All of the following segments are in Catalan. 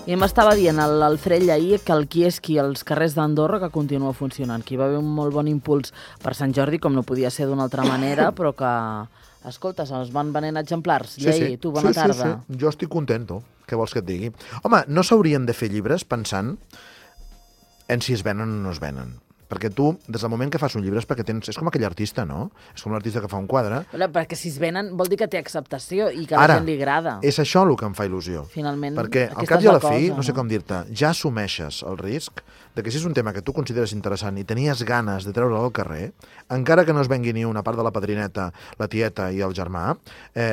I m'estava dient l'Alfred ahir que el Qui als carrers d'Andorra que continua funcionant, que hi va haver un molt bon impuls per Sant Jordi, com no podia ser d'una altra manera, però que, escolta, se'ls van venent exemplars. Llei, tu, bona tarda. Sí. Jo estic contento. Què vols que et digui? Home, no s'haurien de fer llibres pensant en si es venen o no es venen. Perquè tu, des del moment que fas un llibre, és perquè tens... És com aquell artista, no? És com l'artista que fa un quadre. Perquè si es venen vol dir que té acceptació i que a la gent li agrada. És això el que em fa il·lusió. Finalment, perquè al cap i a la fi, no sé com dir-te, ja assumeixes el risc de que si és un tema que tu consideres interessant i tenies ganes de treure'l al carrer, encara que no es vengui ni una part de la padrineta, la tieta i el germà,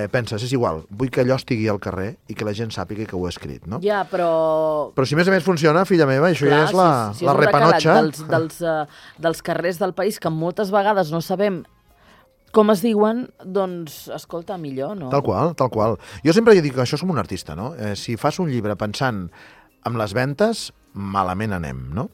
penses, és igual, vull que allò estigui al carrer i que la gent sàpiga que ho he escrit, no? Ja, però... Però si més a més funciona, filla meva, això ja és la repanotxa dels carrers del país, que moltes vegades no sabem com es diuen, doncs, escolta, millor, no? Tal qual. Jo sempre dic que això és com un artista, no? Si fas un llibre pensant en les ventes, malament anem, no?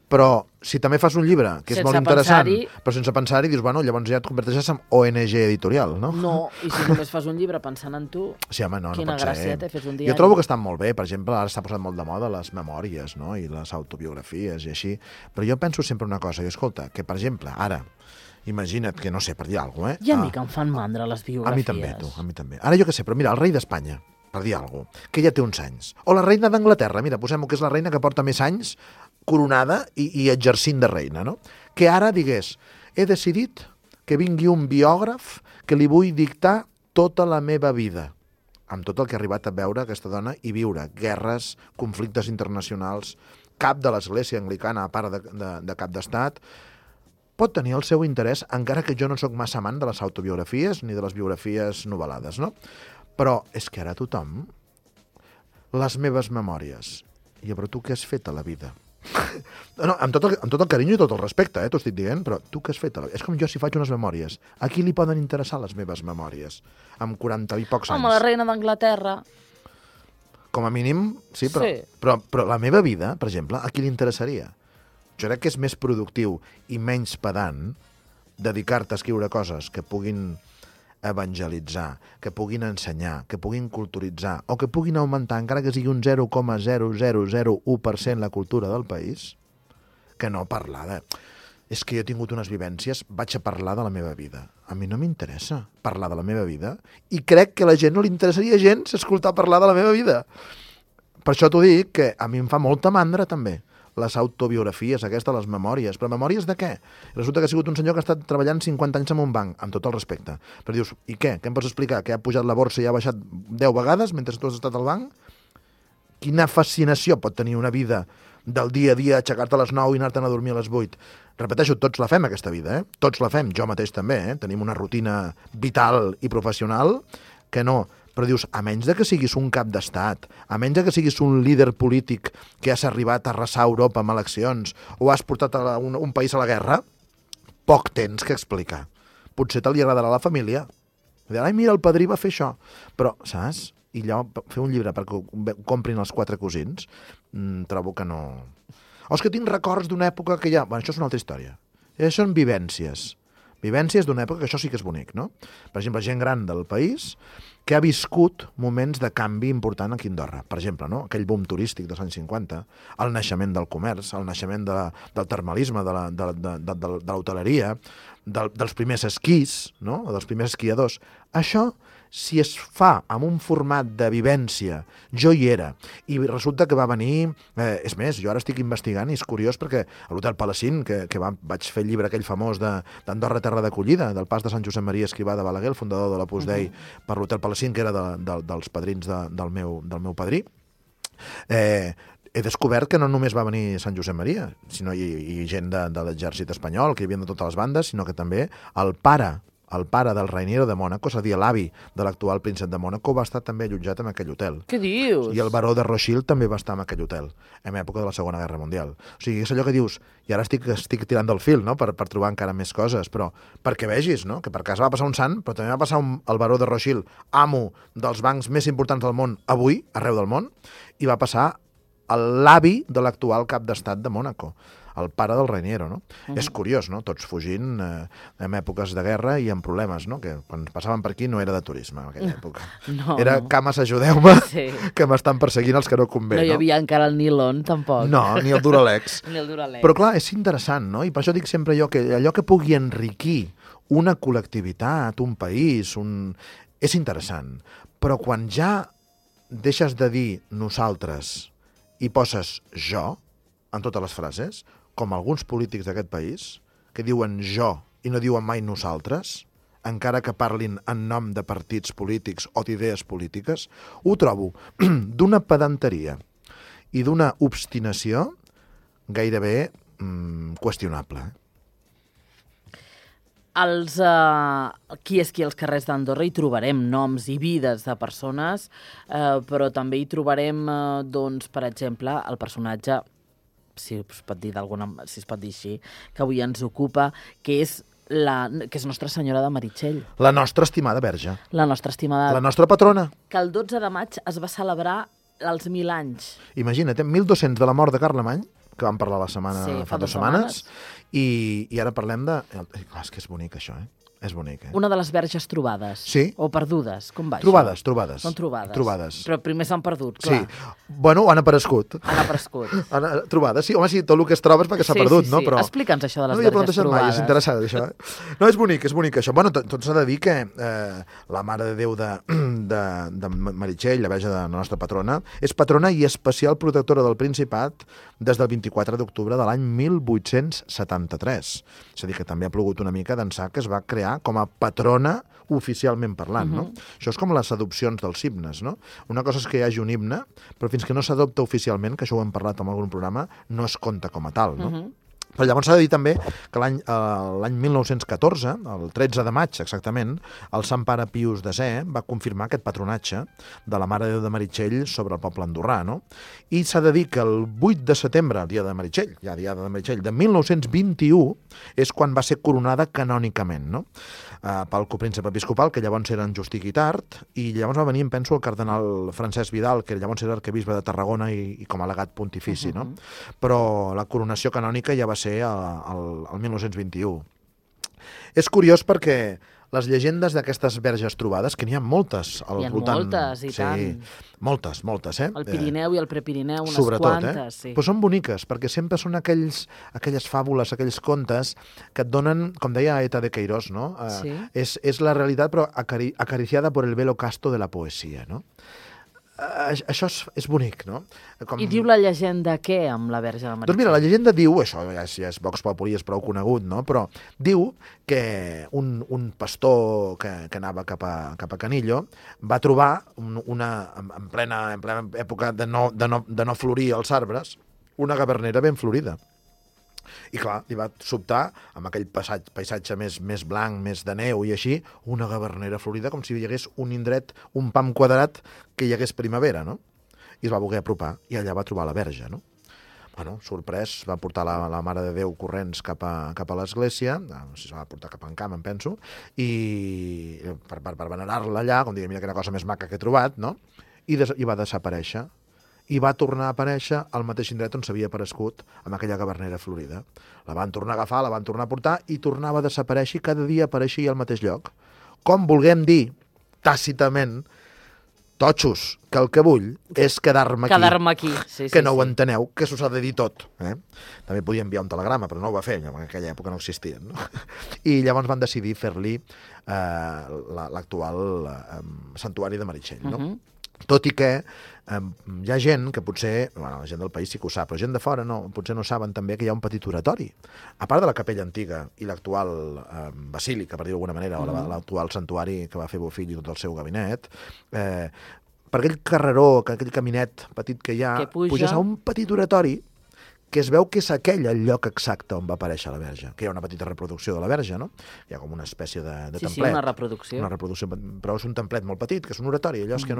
Però si també fas un llibre que és molt interessant, però sense pensar-hi, dius, bueno, llavors ja et converteixes en ONG editorial, no? No, i si només fas un llibre pensant en tu, sí, home, quina gràcia té fes un diari. Jo trobo que estan molt bé, per exemple, ara s'ha posat molt de moda les memòries, no?, i les autobiografies i així, però jo penso sempre una cosa, i escolta, que per exemple, ara, imagina't que, no sé, per dir alguna cosa, I a mi que em fan mandra les biografies. A mi també, tu, a mi també. Ara jo què sé, però mira, el rei d'Espanya, per dir alguna cosa, que ja té uns anys. O la reina d'Anglaterra, mira, posem-ho que és la reina que porta més anys coronada i exercint de reina, no? Que ara digués, he decidit que vingui un biògraf que li vull dictar tota la meva vida, amb tot el que ha arribat a veure aquesta dona i viure guerres, conflictes internacionals, cap de l'església anglicana a part de cap d'estat, pot tenir el seu interès, encara que jo no sóc massa amant de les autobiografies ni de les biografies novel·lades, no? Però és que ara tothom, les meves memòries, i però tu què has fet a la vida? No, amb tot el carinyo i tot el respecte, t'ho estic dient, però tu què has fet a la vida? És com jo si faig unes memòries. A qui li poden interessar les meves memòries? Amb 40 i pocs anys. Home, la reina d'Anglaterra. Com a mínim, sí, però la meva vida, per exemple, a qui li interessaria? Jo crec que és més productiu i menys pedant dedicar-te a escriure coses que puguin evangelitzar, que puguin ensenyar, que puguin culturitzar, o que puguin augmentar, encara que sigui un 0,0001% la cultura del país, que no parlar de... És que jo he tingut unes vivències, vaig a parlar de la meva vida. A mi no m'interessa parlar de la meva vida, i crec que a la gent no li interessaria gens escoltar parlar de la meva vida. Per això t'ho dic, que a mi em fa molta mandra, també, les autobiografies, aquestes, les memòries. Però memòries de què? Resulta que ha sigut un senyor que ha estat treballant 50 anys en un banc, amb tot el respecte. Però dius, i què? Què em pots explicar? Que ha pujat la borsa i ha baixat 10 vegades mentre tu has estat al banc? Quina fascinació pot tenir una vida del dia a dia, aixecar-te a les 9 i anar-te'n a dormir a les 8? Repeteixo, tots la fem, aquesta vida, Tots la fem, jo mateix també, Tenim una rutina vital i professional que no... Però dius, a menys de que siguis un cap d'estat, a menys de que siguis un líder polític que has arribat a arrasar Europa amb eleccions o has portat un país a la guerra, poc tens que explicar. Potser te li agradarà a la família. Ai, mira, el padrí va fer això. Però, saps? I allò, fer un llibre perquè ho comprin els 4 cosins, trobo que no... O és que tinc records d'una època que ja... Bueno, això és una altra història. Això són vivències. Vivències d'una època que això sí que és bonic, no? Per exemple, gent gran del país que ha viscut moments de canvi important aquí a Andorra. Per exemple, no? Aquell boom turístic dels anys 50, el naixement del comerç, el naixement del termalisme, de l'hoteleria, dels primers esquís, no? Dels primers esquiadors. Això, si es fa amb un format de vivència, jo hi era, i resulta que va venir... és més, jo ara estic investigant i és curiós perquè a l'Hotel Palacín, que vaig fer el llibre aquell famós d'Andorra Terra d'Acollida, del pas de Sant Josep Maria Escrivà de Balaguer, el fundador de l'Opus Dei, per l'Hotel Palacín, que era dels padrins del meu padrí, he descobert que no només va venir Sant Josep Maria, sinó i gent de l'exèrcit espanyol, que hi havia de totes les bandes, sinó que també el pare del Reiniero de Mònaco, és a dir, l'avi de l'actual príncep de Mònaco, va estar també allotjat en aquell hotel. Què dius? I el baró de Rothschild també va estar en aquell hotel, en època de la Segona Guerra Mundial. O sigui, és allò que dius, i ara estic tirant del fil, no?, per trobar encara més coses, però perquè vegis, no?, que per casa va passar un sant, però també va passar el baró de Rothschild, amo dels bancs més importants del món avui, arreu del món, i va passar l'avi de l'actual cap d'estat de Mònaco, el pare del Raniero, no? És curiós, no? Tots fugint en èpoques de guerra i amb problemes, no? Que quan passaven per aquí no era de turisme en aquella època. Era cames, ajudeu-me, que m'estan perseguint els que no convé, no? No hi havia encara el nilon, tampoc. No, ni el Duralex. Ni el Duralex. Però clar, és interessant, no? I per això dic sempre jo que allò que pugui enriquir una col·lectivitat, un país, és interessant. Però quan ja deixes de dir nosaltres i poses jo en totes les frases, com alguns polítics d'aquest país, que diuen jo i no diuen mai nosaltres, encara que parlin en nom de partits polítics o d'idees polítiques, ho trobo d'una pedanteria i d'una obstinació gairebé qüestionable. Qui és qui als carrers d'Andorra hi trobarem noms i vides de persones, però també hi trobarem, doncs, per exemple, el personatge, si es pot dir així, que avui ens ocupa, que és Nostra Senyora de Meritxell. La nostra estimada verge. La nostra estimada... La nostra patrona. Que el 12 de maig es va celebrar els 1.000 anys. Imagina't, 1.200 de la mort de Carlemany, que vam parlar fa 2 setmanes, i ara parlem de... Clar, és que és bonic, això, És bonic, Una de les verges trobades. Sí. O perdudes, com va Trobades. Són trobades. Trobades. Però primer s'han perdut, clar. Sí. Bueno, han aparegut. Trobades, sí. Home, sí, tot el que es troba és perquè s'ha perdut, no? Però... Explica'ns això de les verges trobades. Mai, és interessant, això. No, és bonic, això. Bueno, tot s'ha de dir que la Mare de Déu de Meritxell, la verge de la nostra patrona, és patrona i especial protectora del Principat des del 24 d'octubre de l'any 1873. És a dir, que també ha plogut una mica d'ençà que es va crear com a patrona oficialment parlant, no? Això és com les adopcions dels himnes, no? Una cosa és que hi hagi un himne, però fins que no s'adopta oficialment, que això ho hem parlat en algun programa, no es compta com a tal, no? Però llavors s'ha de dir també que l'any 1914, el 13 de maig exactament, el Sant Pare Pius X va confirmar aquest patronatge de la Mare de Déu de Meritxell sobre el poble andorrà, no? I s'ha de dir que el 8 de setembre, el dia de Meritxell, de Meritxell, de 1921, és quan va ser coronada canònicament, no? Pel copríncep episcopal, que llavors era en Justí Guitart, i llavors va venir, em penso, el cardenal Francesc Vidal, que llavors era arquebisbe de Tarragona i com a legat pontifici, no? Però la coronació canònica ja va ser el 1921. És curiós perquè les llegendes d'aquestes verges trobades, que n'hi ha moltes al voltant... Moltes, i tant. Moltes, El Pirineu i el Prepirineu, unes quantes. Sí. Però són boniques, perquè sempre són aquelles fàbules, aquells contes que et donen, com deia Eta de Queirós, no? Sí. És la realitat, però acariciada por el velo casto de la poesia, no? Això és bonic, no? I diu la llegenda què amb la verge de Meritxell? Doncs mira, la llegenda diu, això ja és Vox Populi, és prou conegut, no? Però diu que un pastor que anava cap a Canillo va trobar en plena època de no florir els arbres, una gavernera ben florida. I clar, li va sobtar, amb aquell paisatge més blanc, més de neu i així, una gavernera florida, com si hi hagués un indret, un pam quadrat, que hi hagués primavera, no? I es va voler apropar, i allà va trobar la verge, no? Bueno, sorprès, va portar la Mare de Déu corrents cap a l'església, no sé si se va portar cap a en camp, em penso, i per venerar-la allà, com diguem, mira quina cosa més maca que he trobat, no? I va desaparèixer. I va tornar a aparèixer al mateix indret on s'havia aparegut amb aquella gavernera florida. La van tornar a agafar, la van tornar a portar i tornava a desaparèixer i cada dia apareixia al mateix lloc. Com vulguem dir, tàcitament, totxos, que el que vull és quedar-me aquí. Sí, que no ho enteneu, que s'ho s'ha de dir tot. També podia enviar un telegrama, però no ho va fer, en aquella època no existien. No? I llavors van decidir fer-li l'actual santuari de Meritxell, no? Tot i que hi ha gent que potser, la gent del país sí que ho sap, però gent de fora potser no saben també que hi ha un petit oratori. A part de la capella antiga i l'actual basílica, per dir-ho d'alguna manera, o l'actual santuari que va fer Bofill i tot el seu gabinet, per aquell carreró, aquell caminet petit que hi ha, puges a un petit oratori que es veu que és aquell el lloc exacte on va aparèixer la verge, que hi ha una petita reproducció de la verge, no? Hi ha com una espècie de templet. Sí, una reproducció. Una reproducció, però és un templet molt petit, que és un oratori, allò és que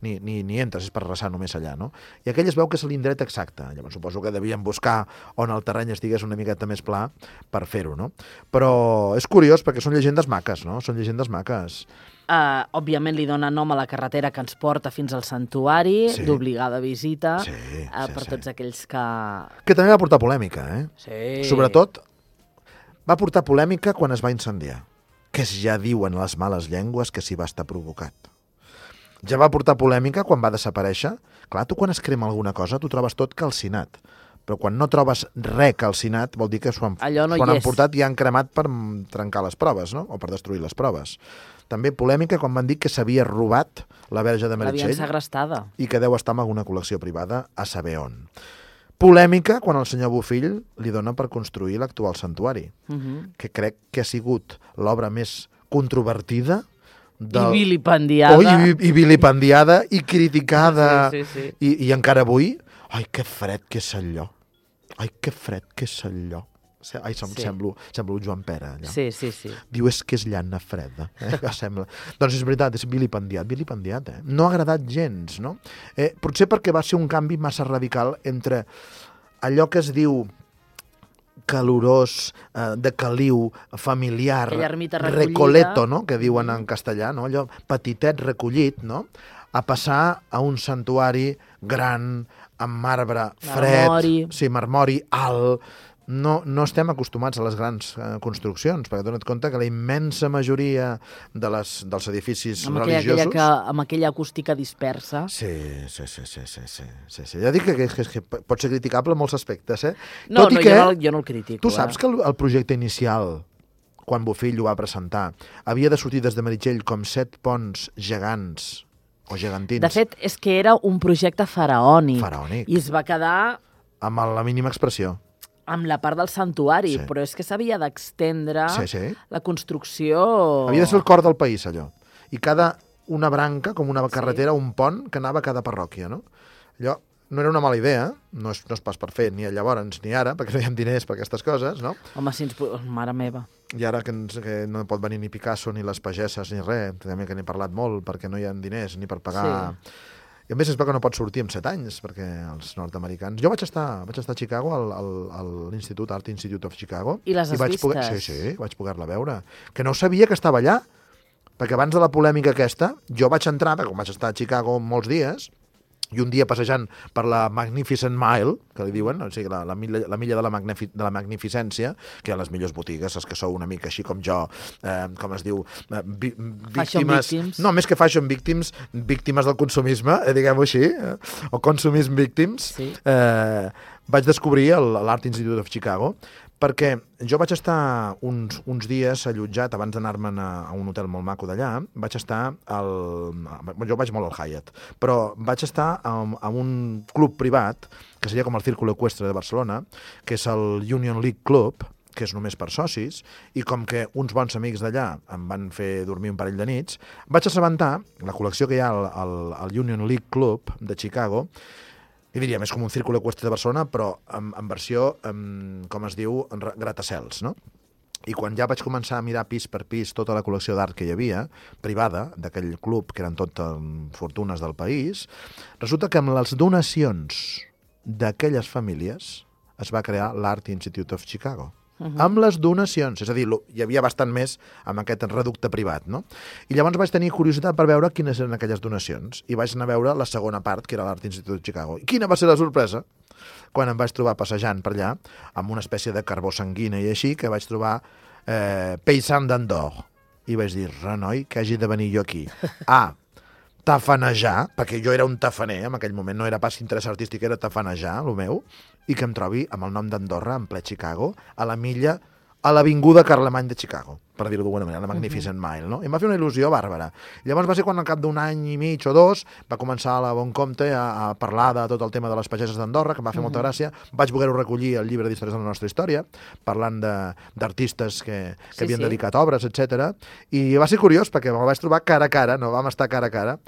ni entres, és per resar només allà, no? I aquell es veu que és l'indret exacte. Llavors suposo que devien buscar on el terreny estigués una miqueta més pla per fer-ho, no? Però és curiós perquè són llegendes maques, no? Són llegendes maques. Òbviament li dona nom a la carretera que ens porta fins al santuari, d'obligada visita, per tots aquells que... Que també va portar polèmica, Sí. Sobretot, va portar polèmica quan es va incendiar, que ja diuen les males llengües que s'hi va estar provocat. Ja va portar polèmica quan va desaparèixer. Clar, tu quan es crema alguna cosa, tu trobes tot calcinat. Però quan no trobes res calcinat, vol dir que s'ho han portat i han cremat per trencar les proves, no? O per destruir les proves. També polèmica quan van dir que s'havia robat la Verge de Meritxell. L'havien segrestada. I que deu estar en alguna col·lecció privada, a saber on. Polèmica quan el senyor Bofill li dona per construir l'actual santuari, que crec que ha sigut l'obra més controvertida i vilipendiada. I vilipendiada i criticada. Sí. I encara avui... Ai, que fred que és allò. Ai, que fred que és allò. Ai, semblo Joan Pere, allò. Sí. Diu, és que és llana freda. Que sembla. Doncs és veritat, és vilipendiat, No ha agradat gens, no? Potser perquè va ser un canvi massa radical entre allò que es diu calorós, de caliu, familiar, recoleto, no? Que diuen en castellà, no? Allò petitet, recollit, no? A passar a un santuari gran, amb marbre fred, marmori, alt. No estem acostumats a les grans construccions, perquè dona't compte que la immensa majoria dels edificis religiosos... Amb aquella acústica dispersa. Sí. Ja dic que pot ser criticable en molts aspectes, No, jo no el critico. Tu saps que el projecte inicial, quan Bofill ho va presentar, havia de sortir des de Meritxell com 7 ponts gegants o gegantins. De fet, és que era un projecte faraònic. I es va quedar... Amb la mínima expressió. Amb la part del santuari, però és que s'havia d'extendre la construcció... Havia de ser el cor del país, allò. I una branca, com una carretera, un pont, que anava a cada parròquia, no? Allò no era una mala idea, no és pas per fer ni llavors ni ara, perquè no hi ha diners per aquestes coses, no? Home, mare meva. I ara que no pot venir ni Picasso, ni les pageses, ni res, també que n'he parlat molt, perquè no hi ha diners ni per pagar... I a més és que no pot sortir amb 7 anys, perquè els nord-americans... Jo vaig estar a Chicago, a l'Institut Art Institute of Chicago. I les has vistes? Sí, vaig poder-la veure. Que no sabia que estava allà, perquè abans de la polèmica aquesta, jo vaig entrar, perquè com vaig estar a Chicago molts dies, i un dia passejant per la Magnificent Mile, que li diuen, o sigui, la milla de la magnificència, que hi ha les millors botigues, els que sou una mica així com jo, com es diu, víctimes... No, més que fashion victims, víctimes del consumisme, diguem-ho així, o consumism victims, vaig descobrir l'Art Institute of Chicago, perquè jo vaig estar uns dies allotjat, abans d'anar-me'n a un hotel molt maco d'allà, jo vaig molt al Hyatt, però vaig estar en un club privat, que seria com el Círculo Ecuestre de Barcelona, que és el Union League Club, que és només per socis, i com que uns bons amics d'allà em van fer dormir un parell de nits, vaig assabentar la col·lecció que hi ha al Union League Club de Chicago, i diríem, és com un Círculo Ecuestre de Barcelona, però en versió, com es diu, gratacels, no? I quan ja vaig començar a mirar pis per pis tota la col·lecció d'art que hi havia, privada, d'aquell club, que eren tot fortunes del país, resulta que amb les donacions d'aquelles famílies es va crear l'Art Institute of Chicago. Amb les donacions, és a dir, hi havia bastant més amb aquest reducte privat, no? I llavors vaig tenir curiositat per veure quines eren aquelles donacions, i vaig anar a veure la segona part, que era l'Art Institute de Chicago. I quina va ser la sorpresa? Quan em vaig trobar passejant per allà, amb una espècie de carbó sanguina i així, que vaig trobar Paysan d'Andorre. I vaig dir, renoi, que hagi de venir jo aquí. Tafanejar, perquè jo era un tafaner, en aquell moment no era pas interès artístic, era tafanejar, el meu, i que em trobi amb el nom d'Andorra, en ple Chicago, a l'avinguda Carlemany de Chicago, per dir-ho d'alguna manera, la Magnificent Mile, no? I em va fer una il·lusió bàrbara. I llavors va ser quan al cap d'un any i mig o 2 va començar la Bon Compte a parlar de tot el tema de les pageses d'Andorra, que em va fer molta gràcia. Vaig voler-ho recollir al llibre d'històries de la nostra història, parlant d'artistes que havien dedicat obres, etc. I va ser curiós, perquè me'l vaig trobar cara a cara, no vam estar cara a cara.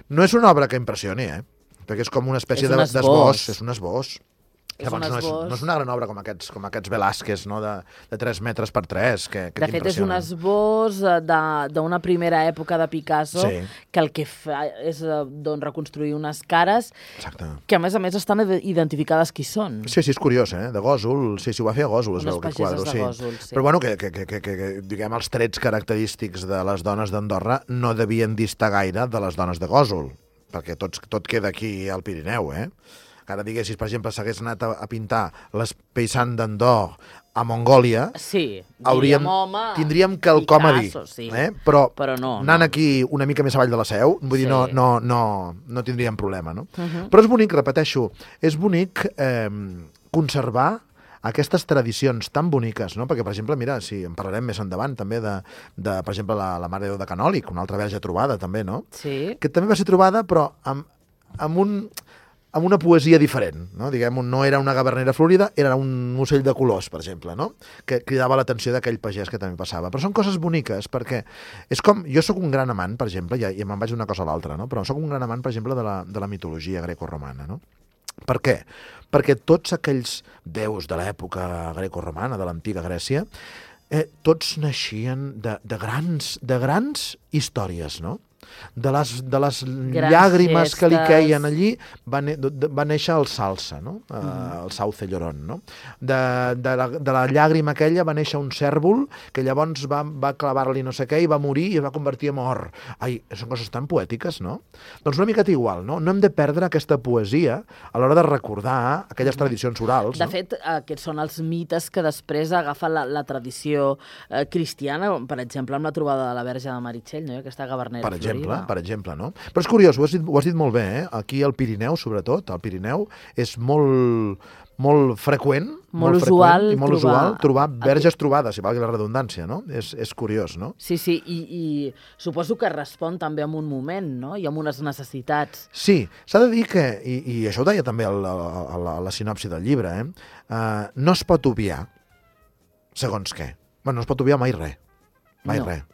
No és una obra que impressioni, perquè és com una espècie d'esbós, és un esbós. Llavors, no és una gran obra com aquests Velázquez, no? de 3 metres per 3, que de fet, és un esbós d'una primera època de Picasso, sí, que el que fa és reconstruir unes cares exacte, que, a més, estan identificades qui són. Sí, és curiós, de Gòsol, sí, ho va fer a Gòsol, es Unes veu aquest quadre, pageses de Gòsol, sí. Però bueno, que diguem, els trets característics de les dones d'Andorra no devien distar gaire de les dones de Gòsol, perquè tot queda aquí al Pirineu, Ara, diguessis, per exemple, s'hagués anat a pintar les Paysannes d'Andorra a Mongòlia, sí, tindríem quelcom a dir, sí. Però no, anant aquí una mica més avall de la Seu, vull dir, no tindríem problema, no? Però és bonic, repeteixo, és bonic conservar aquestes tradicions tan boniques, no? Perquè, per exemple, mira, si en parlarem més endavant, també, per exemple, la Mare de Déu de Canòlic, una altra verge trobada, també, no? Sí. Que també va ser trobada, però amb una poesia diferent, no? Diguem, no era una gavernera florida, era un ocell de colors, per exemple, no? Que cridava l'atenció d'aquell pagès que també passava. Però són coses boniques, perquè és com... Jo sóc un gran amant, per exemple, i me'n vaig d'una cosa a l'altra, no? Però sóc un gran amant, per exemple, de la mitologia grecorromana, no? Per què? Perquè tots aquells déus de l'època grecorromana, de l'antiga Grècia, tots naixien de grans històries, no? De les llàgrimes que li queien allí va néixer el salsa, no? El sauce llorón, no? De la llàgrima aquella va néixer un cèrvol que llavors va clavar-li no sé què i va morir i es va convertir en or. Ai, són coses tan poètiques, no? Doncs una miqueta igual, no? No hem de perdre aquesta poesia a l'hora de recordar aquelles tradicions orals. De fet, aquests són els mites que després agafa la tradició cristiana, per exemple, amb la trobada de la Verge de Meritxell, no? Aquesta gavernera florida. Per exemple, no? Però és curiós, ho has dit molt bé, Aquí al Pirineu, sobretot, al Pirineu, és molt freqüent, molt usual trobar verges trobades, si valgui la redundància, no? És curiós, no? Sí, i suposo que respon també en un moment, no? I amb unes necessitats. Sí, s'ha de dir que, i això ho deia també a la sinopsi del llibre, no es pot obviar, segons què. Bueno, no es pot obviar mai res. Res.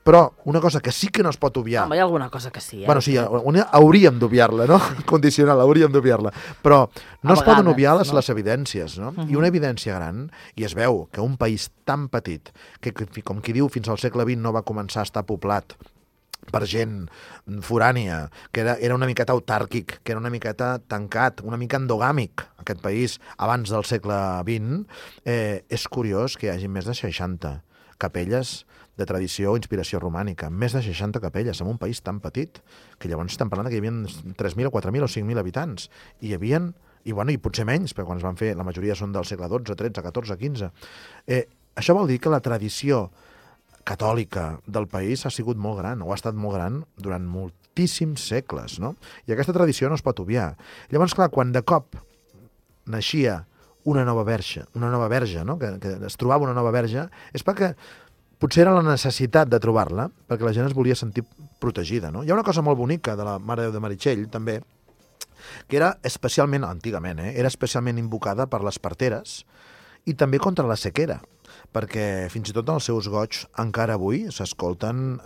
Però una cosa que sí que no es pot obviar... Home, hi ha alguna cosa que sí, Bueno, sí, hauríem d'obviar-la, no? Condicional, hauríem d'obviar-la. Però no es poden obviar les evidències, no? I una evidència gran, i es veu que un país tan petit, que com qui diu fins al segle XX no va començar a estar poblat per gent forània, que era una miqueta autàrquic, que era una miqueta tancat, una mica endogàmic, aquest país, abans del segle XX, és curiós que hi hagi més de 60 capelles de tradició o inspiració romànica. Més de 60 capelles en un país tan petit, que llavors estem parlant que hi havia 3.000 o 4.000 o 5.000 habitants. I hi havia, i potser menys, perquè quan es van fer, la majoria són del segle XII, XIII, XIV, XV. Això vol dir que la tradició catòlica del país ha sigut molt gran, o ha estat molt gran durant moltíssims segles, no? I aquesta tradició no es pot obviar. Llavors, clar, quan de cop naixia una nova verge, no? Que es trobava una nova verge, és perquè potser era la necessitat de trobar-la, perquè la gent es volia sentir protegida, no? Hi ha una cosa molt bonica de la Mare de Déu de Meritxell, també, que era especialment, antigament, era especialment invocada per les parteres i també contra la sequera, perquè fins i tot en els seus goigs encara avui s'escolten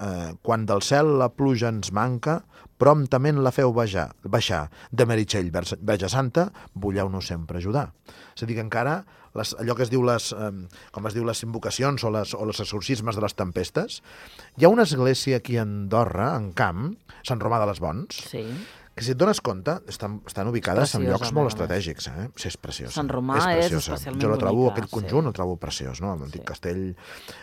quan del cel la pluja ens manca, promptament la feu baixar. De Meritxell, Verge Santa, volleu-nos sempre ajudar. És a dir, que encara allò que es diu com es diu les invocacions o els exorcismes de les tempestes, hi ha una església aquí a Andorra, en Camp, Sant Romà de les Bons, sí, que si et dones compte, estan ubicades en llocs molt estratègics. Sí, és preciosa. Sant Romà és especialment Jo trobo, bonica, aquell conjunt, el trobo preciós, no? L'antic castell.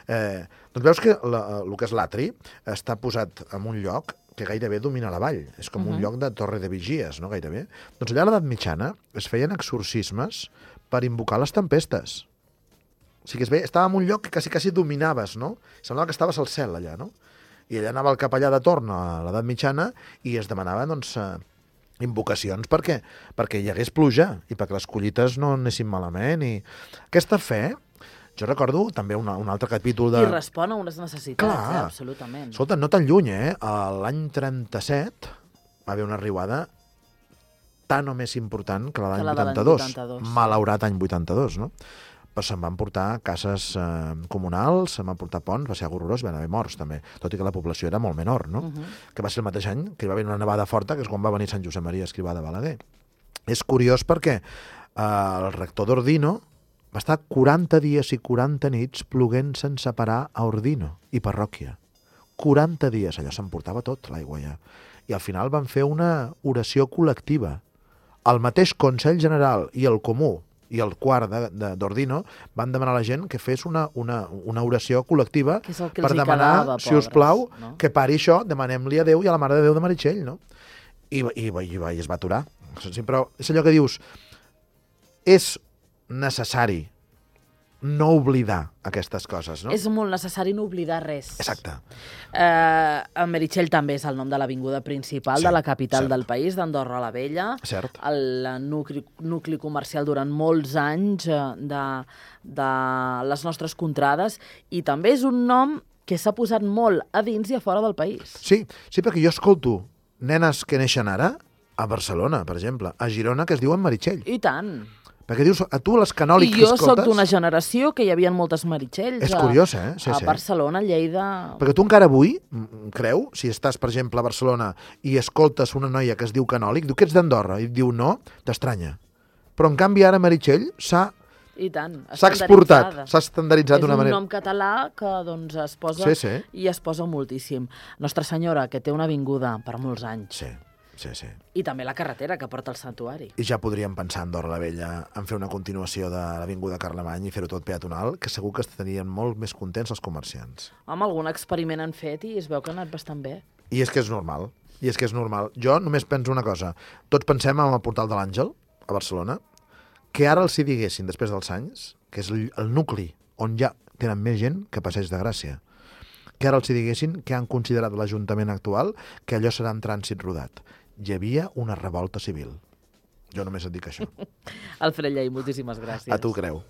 Doncs veus que el que és l'atri està posat en un lloc que gairebé domina la vall. És com un lloc de torre de vigies, no? Gairebé. Doncs allà a l'edat mitjana es feien exorcismes per invocar les tempestes. O sigui, estava en un lloc que quasi dominaves, no? Semblava que estaves al cel, allà, no? I allà anava el capellà de torn a l'edat mitjana i es demanava, doncs, invocacions perquè hi hagués pluja i perquè les collites no anessin malament. I aquesta fe, jo recordo també un altre capítol de... I respon a unes necessitats, absolutament. Escolta, no tan lluny, l'any 37 va haver una riuada tan o més important que l'any 82. Malaurat any 82, no? Però se'n van portar cases comunals, se'n van portar ponts, va ser horrorós, van haver morts també, tot i que la població era molt menor, no? Que va ser el mateix any que hi va haver una nevada forta, que és quan va venir Sant Josep Maria Escrivà de Balaguer. És curiós perquè el rector d'Ordino va estar 40 dies i 40 nits ploguent sense parar a Ordino i parròquia. 40 dies, allò s'emportava tot, l'aigua ja. I al final van fer una oració col·lectiva. El mateix Consell General i el Comú i el quart d'Ordino van demanar a la gent que fes una oració col·lectiva per demanar, si us plau, no? Que pari això, demanem-li a Déu i a la Mare de Déu de Meritxell, no? I es va aturar. Sempre, és allò que dius, és necessari no oblidar aquestes coses, no? És molt necessari no oblidar res. Exacte. El Meritxell també és el nom de l'avinguda principal de la capital del país, d'Andorra la Vella. Cert. El nucli comercial durant molts anys de les nostres contrades, i també és un nom que s'ha posat molt a dins i a fora del país. Sí, perquè jo escolto nenes que neixen ara a Barcelona, per exemple, a Girona, que es diuen Meritxell. I tant. Perquè dius, a tu les canòlics que escoltes... I jo soc d'una generació que hi havia moltes Meritxells. És curiós, eh? A Barcelona, a Lleida... Perquè tu encara avui, creu, si estàs, per exemple, a Barcelona i escoltes una noia que es diu canòlic, diu que ets d'Andorra, i et diu no, t'estranya. Però, en canvi, ara Meritxell s'ha exportat, s'ha estandarditzat d'una manera. És un nom català que doncs, es posa i es posa moltíssim. Nostra Senyora, que té una avinguda per molts anys. Sí. I també la carretera que porta al santuari. I ja podríem pensar a Andorra la Vella en fer una continuació de l'Avinguda Carlemany i fer-ho tot peatonal, que segur que estarien molt més contents els comerciants. Home, algun experiment han fet i es veu que ha anat bastant bé. I és que és normal. Jo només penso una cosa. Tots pensem en el Portal de l'Àngel, a Barcelona, que ara els hi diguessin, després dels anys, que és el nucli on ja tenen més gent que Passeig de Gràcia, que ara els hi diguessin que han considerat l'Ajuntament actual que allò serà en trànsit rodat. Hi havia una revolta civil. Jo només et dic això. Alfred Lley, moltíssimes gràcies. A tu, Creu.